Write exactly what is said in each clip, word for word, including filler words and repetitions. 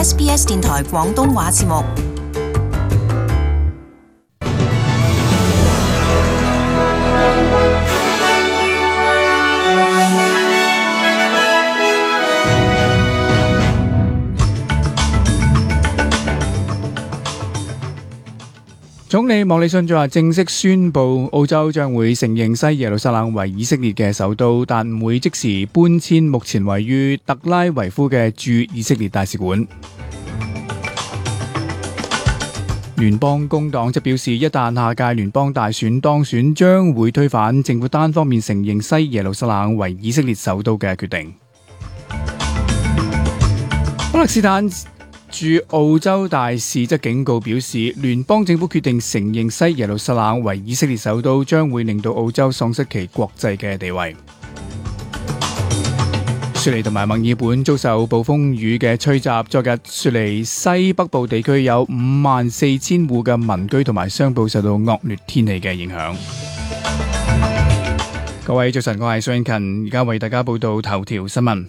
S B S 電台廣東話節目。總理莫里遜就話正式宣布澳洲將會承認西耶路撒冷為以色列嘅首都，但唔會即時搬遷目前位於特拉維夫嘅駐以色列大使館。聯邦工黨則表示，一旦下屆聯邦大選當選，將會推翻政府單方面承認西耶路撒冷為以色列首都嘅決定。巴勒斯坦駐澳洲大使則警告表示，聯邦政府決定承認西耶路撒冷為以色列首都，將會令到澳洲喪失其國際嘅地位。雪梨同埋墨爾本遭受暴風雨嘅吹襲，昨日雪梨西北部地區有五萬四千戶嘅民居同埋商鋪受到惡劣天氣嘅影響。各位早晨，我係蘇英勤，而家為大家報道頭條新聞。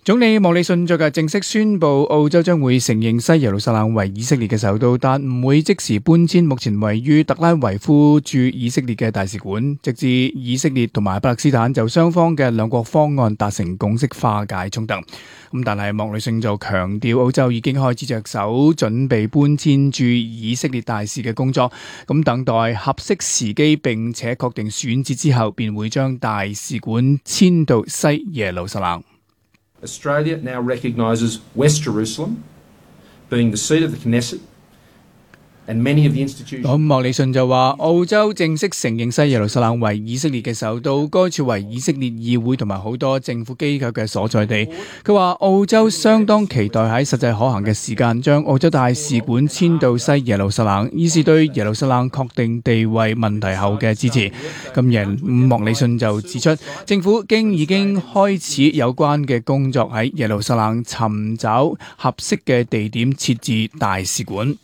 總理莫里遜昨日正式宣布，澳洲將會承認西耶路撒冷為以色列嘅首都，但唔會即時搬遷目前位於特拉維夫駐以色列嘅大使館，直至以色列同埋巴勒斯坦就雙方嘅兩國方案達成共識，化解衝突。咁但係莫里遜就強調，澳洲已經開始着手準備搬遷駐以色列大使嘅工作，咁等待合適時機並且確定選址之後，便會將大使館遷到西耶路撒冷。Australia now recognises West Jerusalem being the seat of the Knesset and many of the institutions. 咁莫里遜就話，澳洲正式承認西耶路撒冷為以色列嘅首都，該處為以色列議會同埋好多政府機構嘅所在地。佢話澳洲相當期待喺實際可行嘅時間將澳洲大使館遷到西耶路撒冷，以示對耶路撒冷確定地位問題後嘅支持。今日莫里遜就指出，政府經已經開始有關嘅工作，喺耶路撒冷尋找合適嘅地點設置大使館。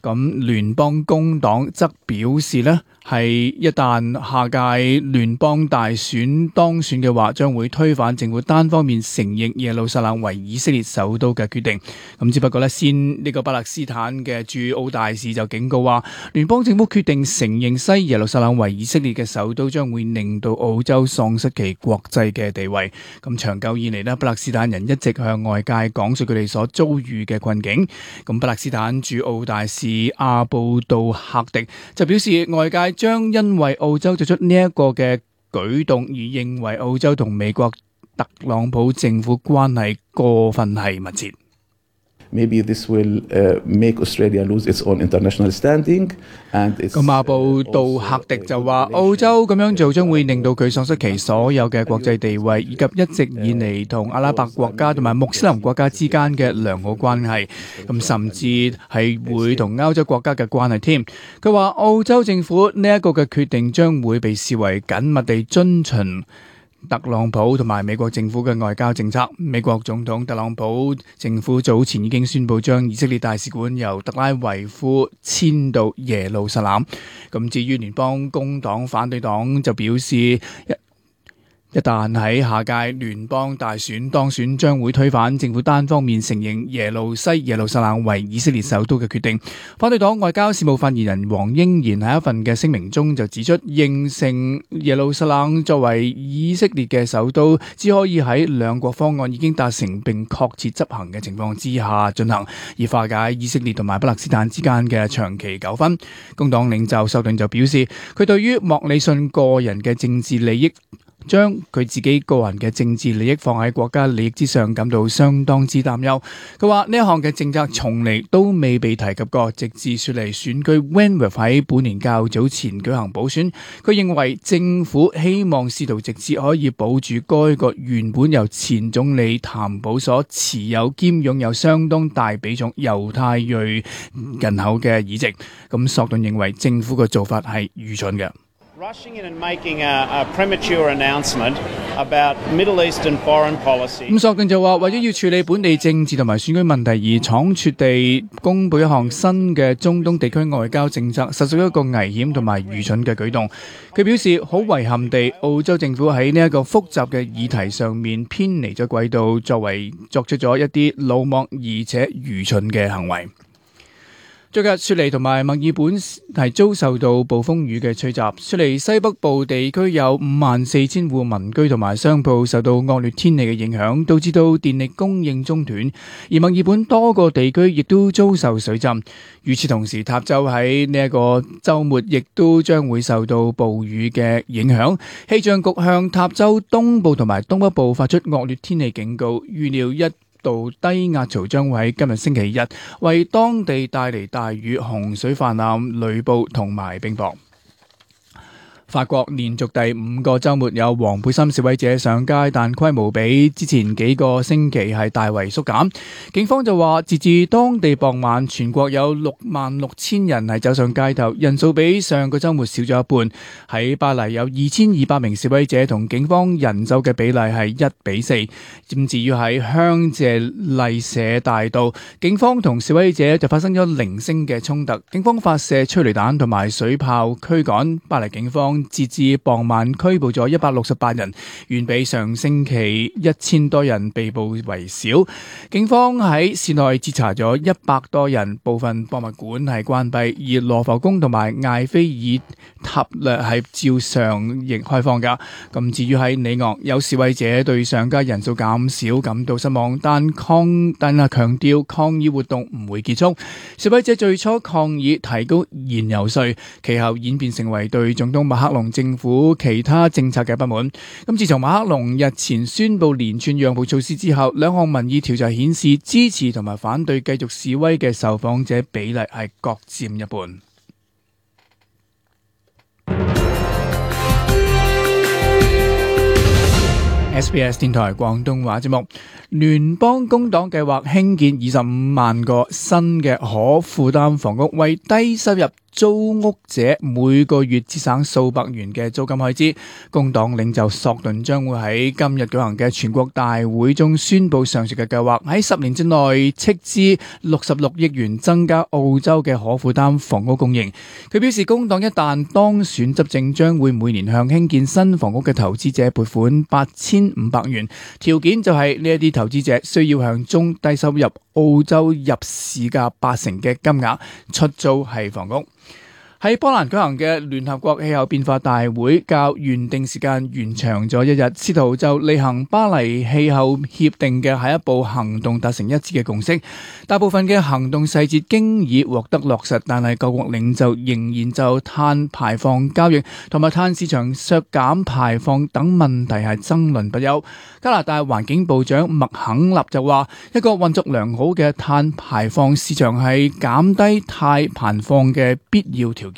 咁聯邦工黨則表示呢，係一旦下屆聯邦大選當選嘅話，將會推翻政府單方面承認耶路撒冷為以色列首都嘅決定。咁只不過呢，先呢個巴勒斯坦嘅駐澳大使就警告話，聯邦政府決定承認西耶路撒冷為以色列嘅首都，將會令到澳洲喪失其國際嘅地位。咁長久以嚟呢，巴勒斯坦人一直向外界講述佢哋所遭遇嘅困境。咁巴勒斯坦駐澳大使阿布杜克迪就表示，外界將因為澳洲做出呢一個嘅舉動而認為澳洲同美國特朗普政府關係過分係密切。Maybe this will uh, make Australia lose its own international standing and its 咁阿布杜克迪就話，澳洲咁樣做將會令到佢喪失其所有嘅國際地位，以及一直以嚟同阿拉伯國家同埋穆斯林國家之間嘅良好關係，咁甚至係會同歐洲國家嘅關係添。佢話澳洲政府呢一個嘅決定將會被視為緊密地遵循特朗普同埋美國政府嘅外交政策。美國總統特朗普政府早前已經宣布將以色列大使館由特拉維夫遷到耶路撒冷。咁至於聯邦工黨反對黨就表示，一一旦喺下屆聯邦大選當選，將會推翻政府單方面承認耶路西耶路撒冷為以色列首都嘅決定。反對黨外交事務發言人黃英賢喺一份嘅聲明中就指出，認成耶路撒冷作為以色列嘅首都，只可以喺兩國方案已經達成並確切執行嘅情況之下進行，以化解以色列同埋巴勒斯坦之間嘅長期糾紛。工黨領袖修頓就表示，佢對於莫里遜個人嘅政治利益，將佢自己個人嘅政治利益放喺國家利益之上，感到相當之擔憂。佢話呢一項嘅政策從嚟都未被提及過，直至雪梨選區 Wentworth 喺本年較早前舉行補選。佢認為政府希望試圖直至可以保住該個原本由前總理譚寶所持有兼擁有相當大比重猶太裔人口嘅議席。咁索頓認為政府嘅做法係愚蠢嘅。Rushing in and making a, a premature announcement about Middle Eastern foreign policy. 咁索近就話，為咗要處理本地政治同埋選舉問題而倉促地公佈一項新嘅中東地區外交政策，實屬一個危險同埋愚蠢嘅舉動。佢表示，好遺憾地，澳洲政府喺呢一個複雜嘅議題上面偏離咗軌道，作為作出咗一啲魯莽而且愚蠢嘅行為。最近雪梨同埋墨爾本係遭受到暴風雨嘅吹襲，雪梨西北部地區有五萬四千戶民居同埋商鋪受到惡劣天氣嘅影響，導致到電力供應中斷，而墨爾本多個地區亦都遭受水浸。與此同時，塔州喺呢一個週末亦都將會受到暴雨嘅影響。氣象局向塔州東部同埋東北部發出惡劣天氣警告，預料一道低壓槽將會喺今日星期日為當地帶嚟大雨、洪水泛濫、雷暴同埋冰雹。法國連續第五個週末有黃背心示威者上街，但規模比之前幾個星期係大為縮減。警方就話，截至當地傍晚，全國有六萬六千人係走上街頭，人數比上個週末少咗一半。喺巴黎有二千二百名示威者同警方人手嘅比例係一比四。咁至於喺香榭麗舍大道，警方同示威者就發生咗零星嘅衝突，警方發射催淚彈同埋水炮驅趕。巴黎警方截至傍晚拘捕咗一百六十八人，遠比上星期一千多人被捕為少。警方喺市內截查咗一百多人，部分博物館係關閉，而羅浮宮同埋艾菲爾塔略係照常亦開放㗎。咁至於喺里昂，有示威者對上街人數減少感到失望，但抗但係強調抗議活動唔會結束。示威者最初抗議提高燃油稅，其後演變成為對總統馬克龍政府其他政策嘅不滿。咁自從馬克龍日前宣布連串讓步措施之後，兩項民意調查顯示支持同埋反對繼續示威嘅受訪者比例係各佔一半。S B S 電台廣東話節目，聯邦工黨計劃興建二十五萬個新嘅可負擔房屋，為低收入租屋者每個月節省數百元嘅租金開支。工黨領袖索頓將會喺今日舉行嘅全國大會中宣布上述嘅計劃，喺十年之內斥資六十六億元增加澳洲嘅可負擔房屋供應。佢表示，工黨一旦當選執政，將會每年向興建新房屋嘅投資者撥款八千五百元，條件就係呢一啲投資者需要向中低收入澳洲入市價八成嘅金額出租係房屋。喺波蘭舉行嘅聯合國氣候變化大會較原定時間延長咗一日，試圖就履行巴黎氣候協定嘅下一步行動達成一致嘅共識。大部分嘅行動細節經已獲得落實，但係各國領袖仍然就碳排放交易同埋碳市場削減排放等問題係爭論不休。加拿大環境部長麥肯納就話，一個運作良好嘅碳排放市場係減低碳排放嘅必要條件。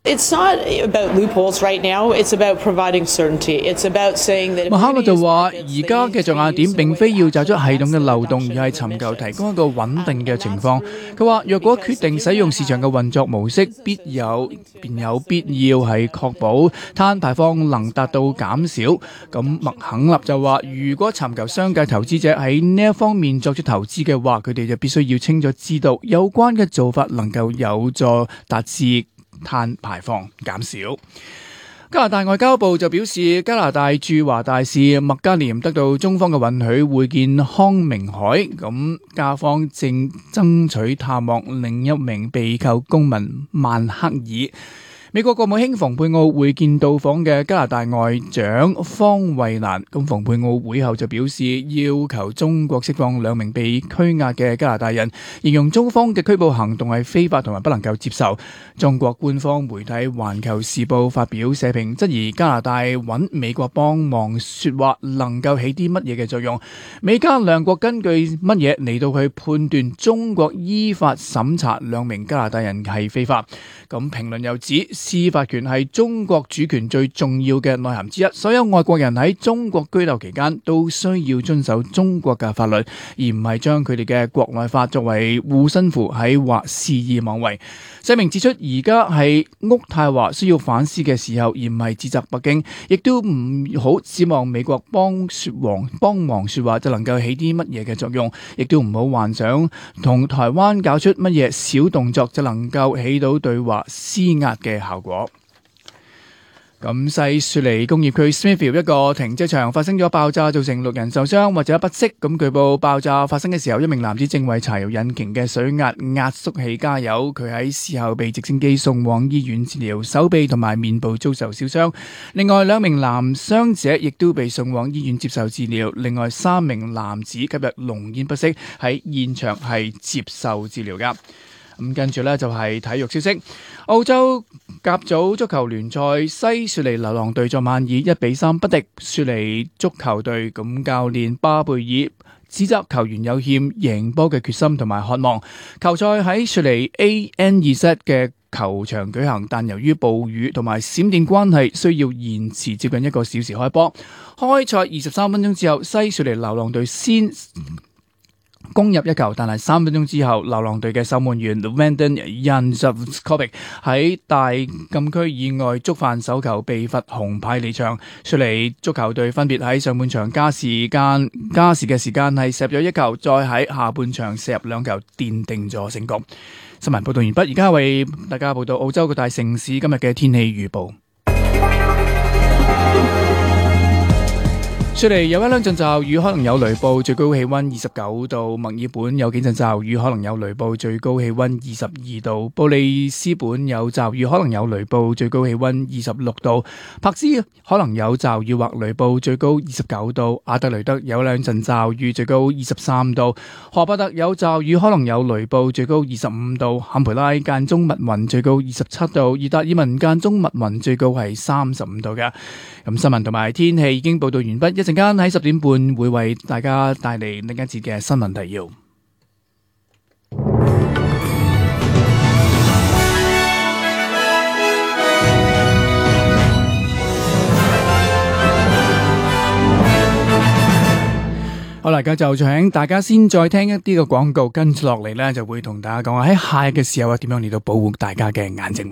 It's not about loopholes right now. It's about providing certainty. It's about saying that. 麥克納就話：而家嘅着眼點並非要找出系統嘅漏洞，而係尋求提供一個穩定嘅情況。佢話：若果決定使用市場嘅運作模式，必有便有必要係確保碳排放能達到減少。咁麥肯納就話：如果尋求商界投資者喺呢一方面作出投資嘅話，佢哋就必須要清楚知道有關嘅做法能夠有助達至碳排放減少。加拿大外交部就表示，加拿大駐華大使麥加廉得到中方嘅允許會見康明凱，咁加方正爭取探望另一名被扣公民曼克爾。美國國務卿蓬佩奧會見到訪嘅加拿大外長方慧蘭，咁蓬佩奧會後就表示要求中國釋放兩名被拘押嘅加拿大人，形容中方嘅拘捕行動係非法同埋不能夠接受。中國官方媒體環球時報發表社評，質疑加拿大揾美國幫忙說話能夠起啲乜嘢嘅作用？美加兩國根據乜嘢嚟到去判斷中國依法審查兩名加拿大人係非法？咁評論又指，司法權係中國主權最重要嘅內涵之一，所有外國人喺中國居留期間都需要遵守中國嘅法律，而唔係將佢哋嘅國內法作為護身符喺或肆意妄為。聲明指出，而家係渥太華需要反思嘅時候，而唔係指責北京，亦都唔好指望美國幫說話幫忙說話就能夠起啲乜嘢嘅作用，亦都唔好幻想同台灣搞出乜嘢小動作就能夠起到對華施壓嘅效果。咁西雪梨工業區 Smithfield 一個停車場發生咗爆炸，造成六人受傷或者不適。咁據報爆炸發生嘅時候，一名男子正為柴油引擎嘅水壓壓縮器加油，佢喺事後被直升機送往醫院治療，手臂同埋面部遭受燒傷。另外兩名男傷者亦都被送往醫院接受治療，另外三名男子今日濃煙不適，喺現場係接受治療噶。咁跟住呢，就係體育消息，澳洲甲組足球聯賽西雪梨流浪隊昨晚以一比三不敵雪梨足球隊，咁教練巴貝爾指責球員有欠贏波嘅決心同埋渴望。球賽喺雪梨 A N 二 set 嘅球場舉行，但由於暴雨同埋閃電關係，需要延遲接近一個小時開波。開賽二十三分鐘之後，西雪梨流浪隊先攻入一球，但係三分鐘之後，流浪隊嘅守門員 Vandon Januzaj 喺大禁區以外觸犯手球，被罰紅牌離場。雪梨足球隊分別喺上半場加時間加時嘅時間係射入咗一球，再喺下半場射入兩球，奠定咗勝局。新聞報道完畢，而家為大家報道澳洲各大城市今日嘅天氣預報。雪梨有一兩陣驟雨，可能有雷暴，最高氣溫二十九度；墨爾本有幾陣驟雨，可能有雷暴，最高氣溫二十二度；布里斯本有驟雨，可能有雷暴，最高氣溫二十六度；柏斯可能有驟雨或雷暴，最高二十九度；阿德雷德有兩陣驟雨，最高二十三度；荷伯特有驟雨，可能有雷暴，最高二十五度；坎培拉間中密雲，最高二十七度；而達爾文間中密雲，最高係三十五度嘅。咁新聞同埋天氣已經報道完畢，一陣間喺十點半會為大家帶嚟另一節嘅新聞提要。好啦，而家就請大家先再聽一啲嘅廣告，跟住落嚟呢，就會同大家講喺下日嘅時候啊，點樣嚟到保護大家嘅眼睛。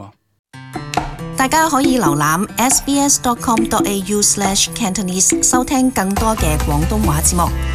大家可以瀏覽 s b s dot com dot a u slash cantonese 收聽更多嘅廣東話節目。